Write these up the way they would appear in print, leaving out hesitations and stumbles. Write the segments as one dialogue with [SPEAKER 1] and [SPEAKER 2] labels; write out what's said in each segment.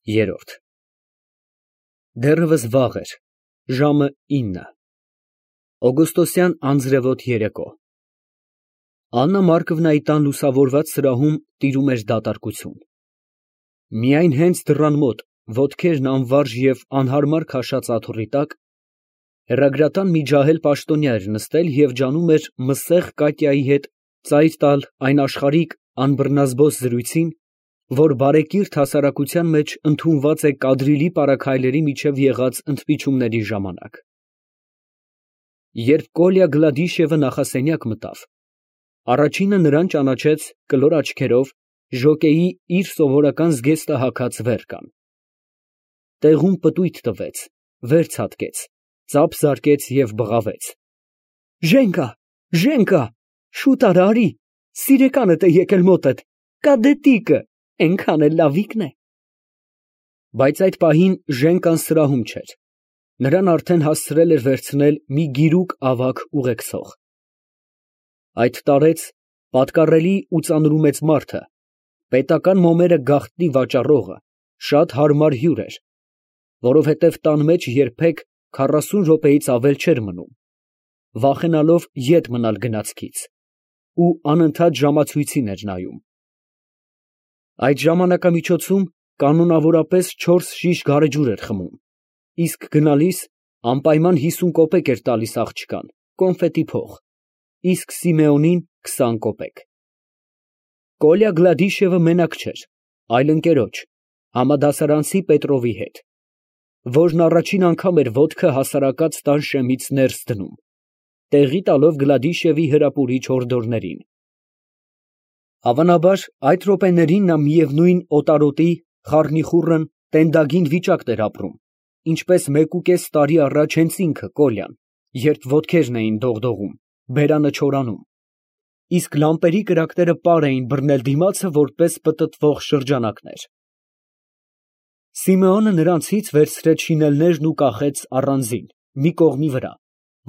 [SPEAKER 1] Երրորդ Դեռևս վաղ էր, ժամը 9, օգոստոսյան անձրևոտ երեկո։ Աննա Մարկովնայի տան լուսավորված սրահում տիրում էր դատարկություն։ Միայն հենց դռան մոտ, ոտքերն անվարժ և անհարմար քաշած աթոռի տակ, հեռագրատան մի ջահել պաշտոնյա էր նստել և ջանում էր մսեղ Կատյայի հետ ծայր տալ այն աշխարհիկ անբռնազբոս զրույցին, որ բարեկիրթ հասարակության մեջ ընդունված է կադրիլի պարագայլերի միջև եղած ընդմիջումների ժամանակ։ Երբ Կոլյա Գլադիշևը նախասենյակ մտավ, առաջինը նրան ճանաչեց կլոր աչքերով ժոկեի իր սովորական զգեստը հագած վերկան։ Տեղում պտույտ տվեց, վեր ցատկեց, ծափ զարկեց և բղավեց. Ժենկա, շուտ արա, արի, սիրեկանդ է եկել մոտդ, կադետիկը, էնքան էլ լավիկն է։ Բայց այդ պահին Ժենկան սրահում չէր, նրան արդեն հասցրել էր վերցնել մի գիրուկ ավագ ուղեկցող։ Այդ տարեց պատկառելի ու ծանրումեծ մարդը, պետական մոմերը գաղտնի վաճառողը, շատ հարմար հյուր էր, որովհետև տան մեջ երբեք 40 րոպեից ավել չէր մնում, վախենալով ետ մնալ գնացքից, ու անընդհատ ժամացույցին էր նայում։ Այդ ժամանակամիջոցում կանոնավորապես 4 շիշ գարեջուր էր խմում, իսկ գնալիս անպայման 50 կոպեկ էր տալիս աղջկան, կոնֆետի փող, իսկ Սիմեոնին 20 կոպեկ։ Կոլյա Գլադիշևը մենակ չէր, այլ ընկերոջ, համադասարանցի Պետրովի հետ, որն առաջին անգամ էր ոտքը հասարակած տան շեմից ներս դնում, տեղի տալով Գլադիշևի հրապուրիչ հորդորներին։ Հավանաբար, այդ րոպեներին նա միևնույն օտարոտի, խառնիխուռն, տենդագին վիճակն էր ապրում, ինչպես 1.5 տարի առաջ հենց ինքը Կոլյան, երբ ոտքերն էին դողդողում, բերանը չորանում, իսկ լամպերի կրակները պար էին բռնել դիմացը որպես պտտվող շրջանակներ։ Սիմեոնը նրանցից վերցրեց շինելներն ու կախեց առանձին, մի կողմի վրա,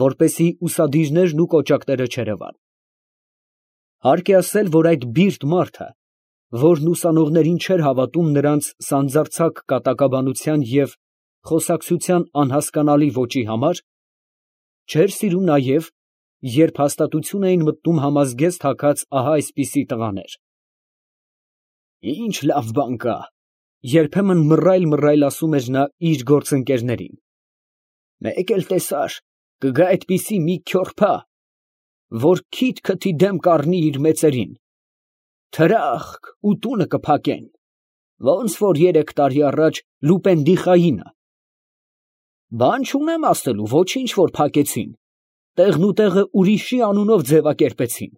[SPEAKER 1] որպեսզի ուսադիրներն ու կոճակները չերևան։ Հարկ է ասել, որ այդ բիրտ մարդը, որն ուսանողներին չէր հավատում նրանց սանձարձակ կատակաբանության և խոսակցության անհասկանալի ոճի համար, չէր սիրում նաև, երբ հաստատություն էին մտնում համազգեստ հագած ահա այսպիսի տղաներ։ Ինչ լավ բան կա, երբեմն մռայլ ասում էր նա իր գործընկերներին։ Մեկ էլ տեսար, կգա այդպիսի մի քյոռփա, որ քիթ քթի դեմ կառնի իր մեծերին, թրախկ ու տունը կփակեն, ոնց որ 3 տարի առաջ Լուպեն֊դի-Խայինը։ Բան չունեմ ասելու, ոչինչ որ փակեցին, տեղն ու տեղը ուրիշի անունով ձևակերպեցին,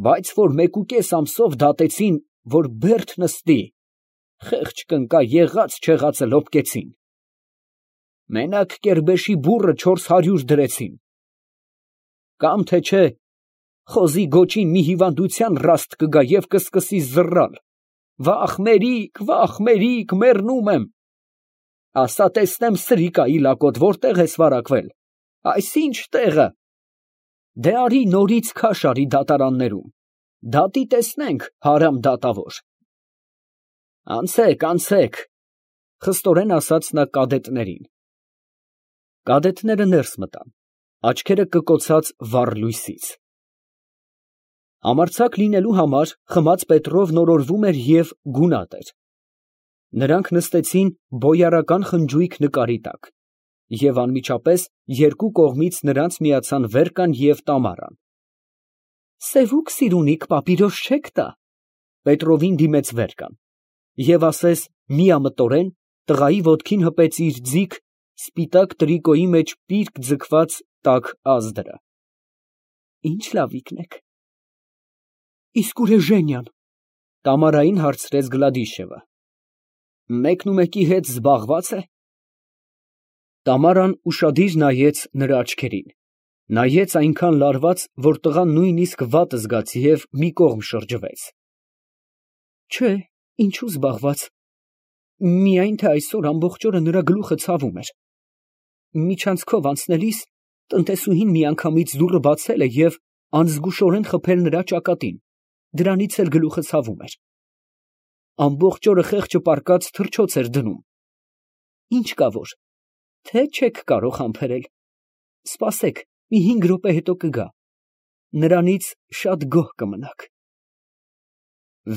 [SPEAKER 1] բայց որ 1.5 ամսով դատեցին, որ բերդ նստի, խեղճ կնկա եղած չեղածը լոփկեցին։ Մենակ Կերբեշի բուռը 400 դրեցին։ Կամ թե չէ, խոզի գոչին մի հիվանդության ռաստ կգա և կսկսի զռռալ. վախ մերիք, մեռնում եմ։ Ասա տեսնեմ սրիկայի լակոտ որտեղ ես վարակվել, այսինչ տեղը։ Դե արի նորից քաշ արի դատարաններում, դատի տեսնենք, հարամ դատավոր։ Անցեք, խստորեն ասաց նա կադետներին։ Կադետները ներս մտան, աչքերը կկոցած վառ լույսից։ Համարձակ լինելու համար խմած Պետրովն օրորվում էր և գունատ էր։ Նրանք նստեցին բոյարական խնջույք նկարի տակ, և անմիջապես երկու կողմից նրանց միացան Վերկան և Տամարան։ Սևուկ սիրունիկ պապիրոս չեք տա։ Պետրովին դիմեց Վերկան և ասես միամտորեն տղայի ոտքին հպեց իր ձիգ, սպիտակ տրիկոյի մեջ պիրկ ձգված տաք ազդրը։ Ինչ լավիկն եք։ Իսկ ուր է Ժենյան։ Տամարային հարցրեց Գլադիշևը։ Մեկնումեկի հետ զբաղված է։ Տամարան ուշադիր նայեց նրա աչքերին, նայեց այնքան լարված, որ տղան նույնիսկ վատ զգաց և մի կողմ շրջվեց։ Չէ, ինչու զբաղված, միայն թե այսօր ամբողջ օրը նրա գլուխը ցավում էր։ Միջանցքով անցնելիս տնտեսուհին միանգամից դուռը բացել է և անզգուշորեն խփել նրա ճակատին, դրանից էլ գլուխը ցավում էր։ ամբողջ օրը խեղճը պառկած թռչոց էր դնում։ Ինչ կա որ, թե չեք կարող համբերել, սպասեք, մի 5 րոպե հետո կգա, նրանից շատ գոհ կմնաք։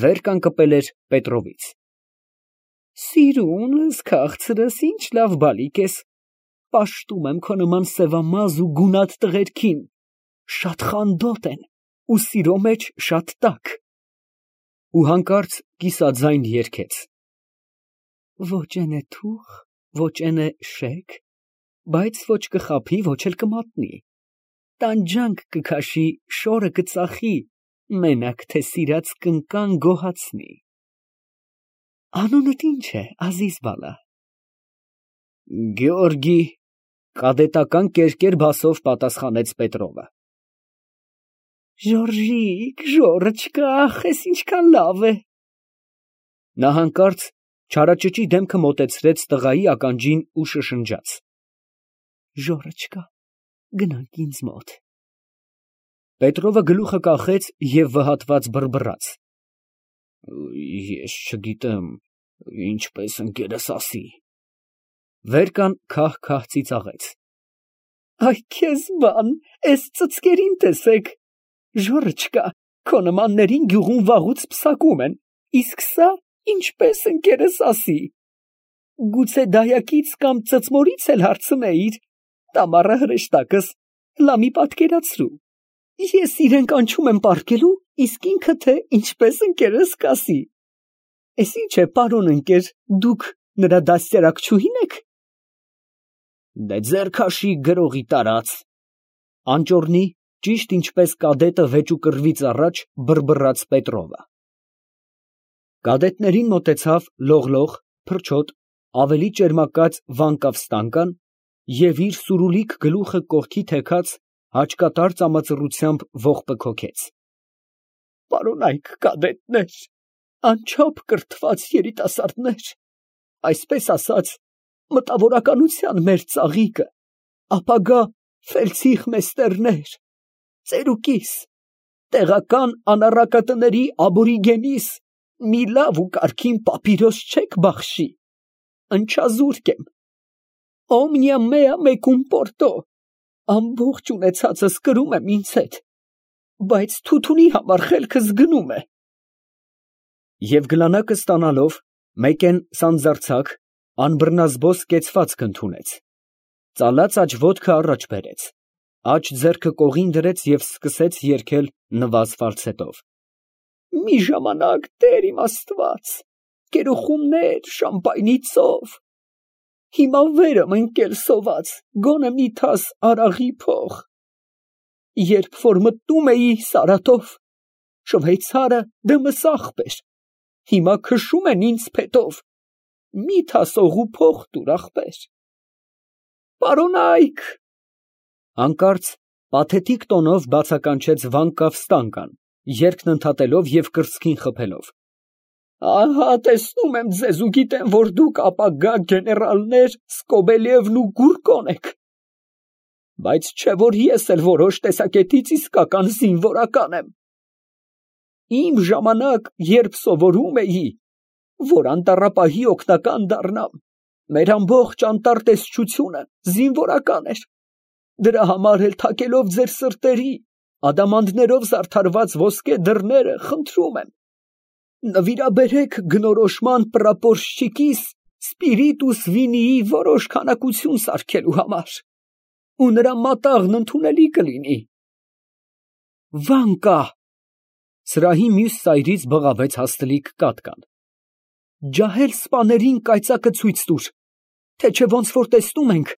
[SPEAKER 1] Վեր կանգնել էր Պետրովից։ Սիրունս, քաղցրս, ինչ լավ բալիկ ես, պաշտում եմ քո նման սևամազ ու գունատ տղերքին, շատ խանդոտ են ու սիրո մեջ շատ տաք։ Ու հանկարծ կիսաձայն երգեց. Ոչ են է թուղ, ոչ են է շեկ, բայց ոչ կխաբի, ոչ էլ կմատնի, տանջանք կքաշի, շորը կծախի, մենակ թե սիրած կնկան գոհացնի։ Անունդ ինչ է, ազիզ բալա։ Գեորգի, կադետական կերկեր բասով պատասխանեց Պետրովը։ Ժորժիկ, ժորոչկա, ախես ինչքան լավ է։ Նա հանկարծ չարաճճի դեմքը մոտեցրեց տղայի ականջին ու շշնջաց. Ժորոչկա, գնանք ինձ մոտ։ Պետրովը գլուխը կախեց և վհատված բռբռաց. Ես չգիտեմ, ինչպես ընկերս ասի։ Վերկան քահ-քահ ծիծաղեց. Այ քեզ բան, էս ծծկերին տեսեք, ժորոչկա, քո նմաններին գյուղում վաղուց պսակում են, իսկ սա ինչպես ընկերս ասի։ Գուցե դայակից կամ ծծմորից էլ հարցնեիր, տամառը հրեշտակս, լամի պատկերացրու։ Ես իրեն կանչում եմ պառկելու, իսկ ինքը թե ինչպես ընկերս կասի։ Էս ինչ է, պարոն ընկեր, դուք նրա դաստիարակչուհի՞ն եք։ Դե ձեր քաշի գրողի տարած։ Անճոռնի, ճիշտ ինչպես կադետը վեճուկռվից առաջ բռբռաց Պետրովը։ Կադետներին մոտեցավ լողլող, փրչոտ, ավելի ճերմակած Վանկավ Ստանկան և իր սուրուլիկ գլուխը կողքի թեքած հաճկատար ծամածռությամբ ողբը քոքեց։ Պարոնայք կադետներ, անչափ կրթված երիտասարդներ, այսպես ասած, մտավորականության մեր ծաղիկը, ապագա ֆելդցիխմեստերներ, ծերուկիս, տեղական անառակատների աբորիգենիս մի լավ ու կարգին պապիրոս չեք բախշի, ընչազուրկ եմ, օմնիա մեա մեկում պորտո, ամբողջ ունեցածս կրում եմ ինձ հետ, բայց թութունի համար խելքս գնում է։ Եվ գլանակը ստանալով, մեկեն սանձարձակ, անբռնազբոս կեցվածք ընդունեց, ծալած աջ ոտքը առաջ բերեց, աջ ձեռքը կողին դրեց և սկսեց երգել նվազ ֆալցետով. Մի ժամանակ, Տեր իմ Աստված, կերոխումներ, շամպայնի ծով, հիմա վեր եմ ընկել սոված, գոնե մի թաս արաղի փող, երբ որ մտնում էի Սարատով, շվեյցարը դեմս աղբ էր, հիմա քշում են ինձ փետով, մի թաս օղու փող տուր ախպեր։ Պարոնայք, հանկարծ պաթետիկ տոնով բացականչեց Վանկավ Ստանկան, երգն ընդհատելով և կրծքին խփելով. Ահա տեսնում եմ ձեզ ու գիտեմ, որ դուք ապագա գեներալներ Սկոբելևն ու Գուրկոն եք, բայց չէ որ ես էլ որոշ տեսակետից իսկական զինվորական եմ։ Իմ ժամանակ, երբ սովորում էի, որ անտառապահի օգնական դառնամ, մեր ամբողջ անտառտեսչությունը զինվորական էր, դրա համար էլ թակելով ձեր սրտերի, ադամանդներով զարդարված ոսկե դռները, խնդրում եմ, նվիրաբերեք գնորոշման պրապորշչիկիս Սպիրիտուս Վինիի որոշ քանակություն սարքելու համար, ու նրա մատաղն ընդունելի կլինի։ Վանկա, սրահի մյուս ծայրից բղավեց հաստլիկ կատկան, ջահել սպաներին կայծակը ցույց տուր, թե չէ ոնց որ տեսնում ենք,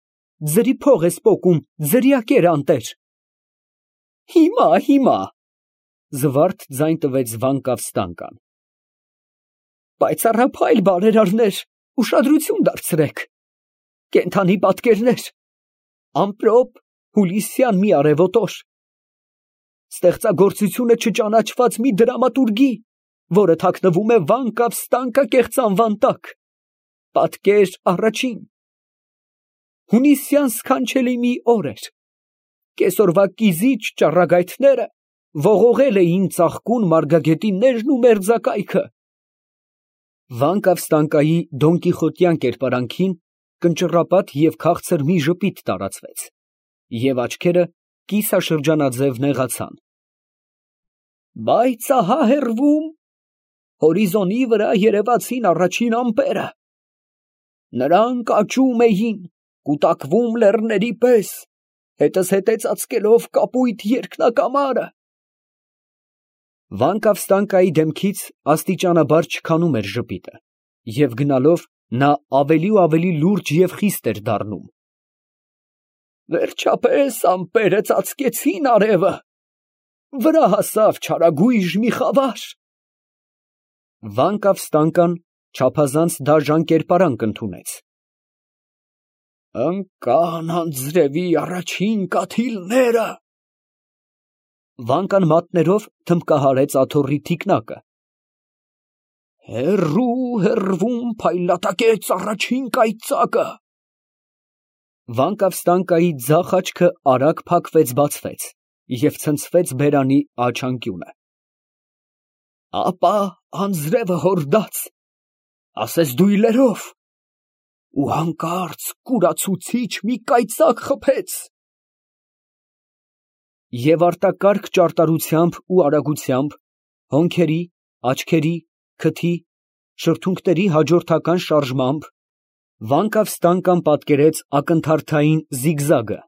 [SPEAKER 1] ձրի փող ես պոկում, ձրիակեր անտեր։ Հիմա, զվարթ ձայն տվեց Վանկավ Ստանկան։ Պայծառափայլ բարերարներ, ուշադրություն դարձրեք, կենդանի պատկերներ, ամպրոպ հուլիսյան մի արևոտոր, ստեղծագործությունը չճանաչված մի դրամատուրգի, որը թաքնվում է Վանկավ Ստանկա կեղծանվան տակ, պատկեր առաջին, հունիսյան սքանչելի մի օր էր, կեսօրվա կիզիչ ճառագայթները ողողել էին ծաղկուն մարգագետիններն ու մերձակայքը, Վանկավստանկայի դոնկիխոտյան կերպարանքին կնճռապատ և քաղցր մի ժպիտ տարածվեց, և աչքերը կիսաշրջանաձև նեղացան։ Բայց ահա հեռվում, հորիզոնի վրա երևացին առաջին ամպերը. նրանք աճում էին, կուտակվում լեռների պես, հետզհետե ծածկելով կապույտ երկնակամարը։ Վանկավստանկայի դեմքից աստիճանաբար չքանում էր ժպիտը, և գնալով նա ավելի ու ավելի լուրջ և խիստ էր դառնում։ Վերջապես ամպերը ծածկեցին արևը, վրա հասավ չարագույժ մի խավար։ Վանկավստանկան չափազանց դաժան կերպարանք ընդունեց։ Ընկան անձրևի առաջին կաթիլները։ Վանկան մատներով թմբկահարեց աթոռի թիկնակը։ Հեռու հեռվում փայլատակեց առաջին կայծակը։ Վանկավստանկայի ձախ աչքը արագ փակվեց֊բացվեց և ցնցվեց բերանի աջ անկյունը։ Ապա անձրևը հորդաց, ասես դույլերով, ու հանկարծ կուրացուցիչ մի կայծակ խփեց։ Եվ արտակարգ ճարտարությամբ ու արագությամբ, հոնքերի, աչքերի, քթի, շրթունքների հաջորդական շարժմամբ Վանկավստանկան պատկերեց ակնթարթային զիգզագը.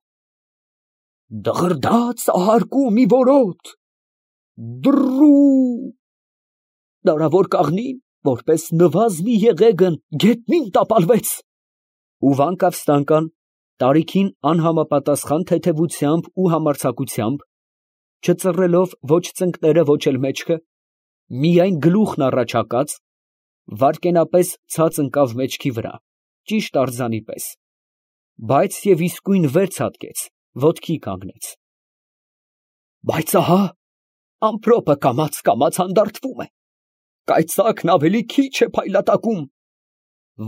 [SPEAKER 1] դղրդաց ահարկու մի որոտ, դռռու, դարավոր կաղնին, որպես նվազ մի եղեգն, գետնին տապալվեց, ու Վանկավստանկան տարիքին անհամապատասխան թեթևությամբ ու համարձակությամբ, չծռելով ոչ ծնկները, ոչ էլ մեջքը, միայն գլուխն առաջ հակած, վայրկենապես ցած ընկավ մեջքի վրա, ճիշտ արձանի պես, բայց և իսկույն վեր ցատկեց, ոտքի կանգնեց։ Բայց ահա ամպրոպը կամաց հանդարտվում է, կայծակն ավելի քիչ է փայլատակում,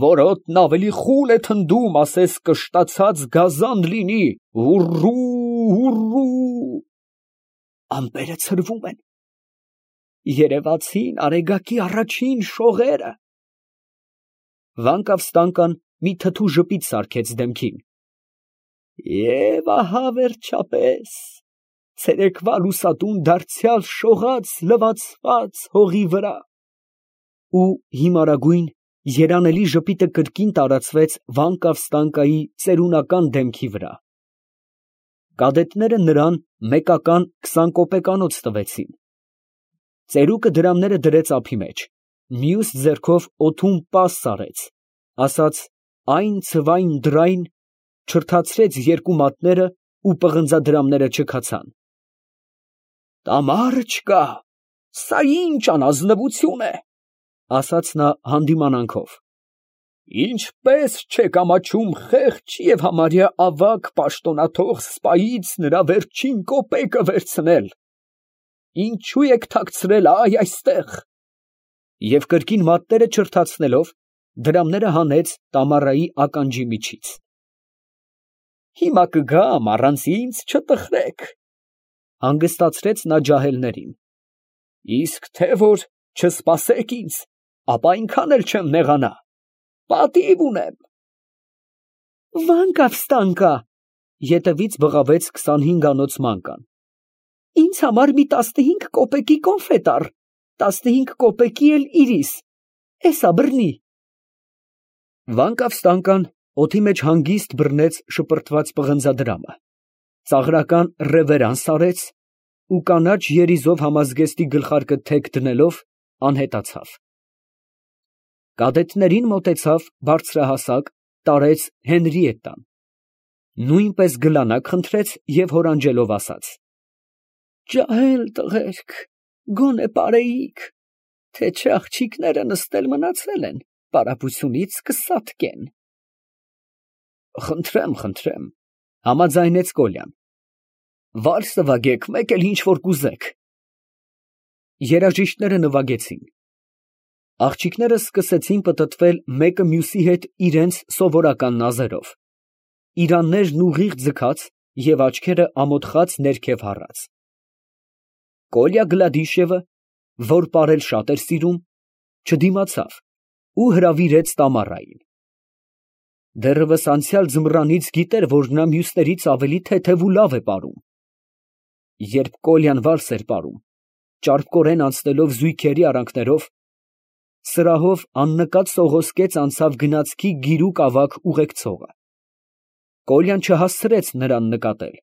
[SPEAKER 1] որոտն ավելի խուլ է թնդում, ասես կշտացած գազան լինի, հուռռու, հուռռու, ամպերը ցրվում են, երևացին արեգակի առաջին շողերը։ Վանկավստանկան մի թթու ժպիտ սարքեց դեմքին։ Եվ ահա վերջապես ցերեկվա լուսատուն դարձյալ շողաց լվացված հողի վրա, ու հիմարագույն երանելի ժպիտը կրկին տարածվեց Վանկավստանկայի ծերունական դեմքի վրա։ Կադետները նրան մեկական 20 կոպեկանոց տվեցին։ Ծերուկը դրամները դրեց ափի մեջ, մյուս ձեռքով օդում պաս արեց, ասաց այն ցվային դռայն, չրթացրեց երկու մատները ու պղնձադրամները չքացան։ Տամարը չկա, սա ինչ անազնվություն է, ասաց նա հանդիմանանքով։ Ինչպես չեք ամաչում խեղճ և համարյա ավագ պաշտոնաթող սպայից նրա վերջին կոպեկը վերցնել, ինչու եք թաքցրել այստեղ, և կրկին մատները չրթացնելով, դրամները հանեց Տամարայի ականջի միջից։ Հիմա կգամ, առանց ինձ չտխրեք, հանգստացրեց նա ջահելներին, իսկ թե որ չսպասեք ինձ, ապա այնքան էլ չեմ նեղանա, պատիվ ունեմ։ Վանկավստանկա, ետևից բղավեց 25-անոց մանկան, ինձ համար մի 15 կոպեկի կոնֆետ առ, 15 կոպեկի էլ իրիս, էսա բռնի։ Վանկավստանկան օդի մեջ հանգիստ բռնեց շպրտված պղնձադրամը, ծաղրական ռևերանս արեց ու կանաչ երիզով համազգեստի գլխարկը թեք դնելով անհետացավ։ Կադետներին մոտեցավ բարձրահասակ, տարեց Հենրիետտան, նույնպես գլանակ խնդրեց և հորանջելով ասաց. Ջահել տղերք, գոնե պարեիք, թե չէ աղջիկները նստել մնացել են, պարապությունից կսատկեն։ Խնդրեմ, համաձայնեց Կոլյան, վալսը վագեք, մեկ էլ ինչ որ կուզեք։ Երաժիշտները նվագեցին։ Աղջիկները սկսեցին պտտվել մեկը մյուսի հետ իրենց սովորական նազերով, իրաններն ուղիղ ձգած և աչքերը ամոթխած ներքև հառած։ Կոլյա Գլադիշևը, որ պարել շատ էր սիրում, չդիմացավ ու հրավիրեց Տամարային։ Դեռևս անցյալ ձմռանից գիտեր, որ նա մյուսներից ավելի թեթև ու լավ է պարում։ Երբ Կոլյան վալս էր պարում, ճարպկորեն անցնելով զույգերի արանքներով, սրահով աննկատ սողոսկեց անցավ գնացքի գիրուկ ավագ ուղեկցողը։ Կոլյան չհասցրեց նրան նկատել։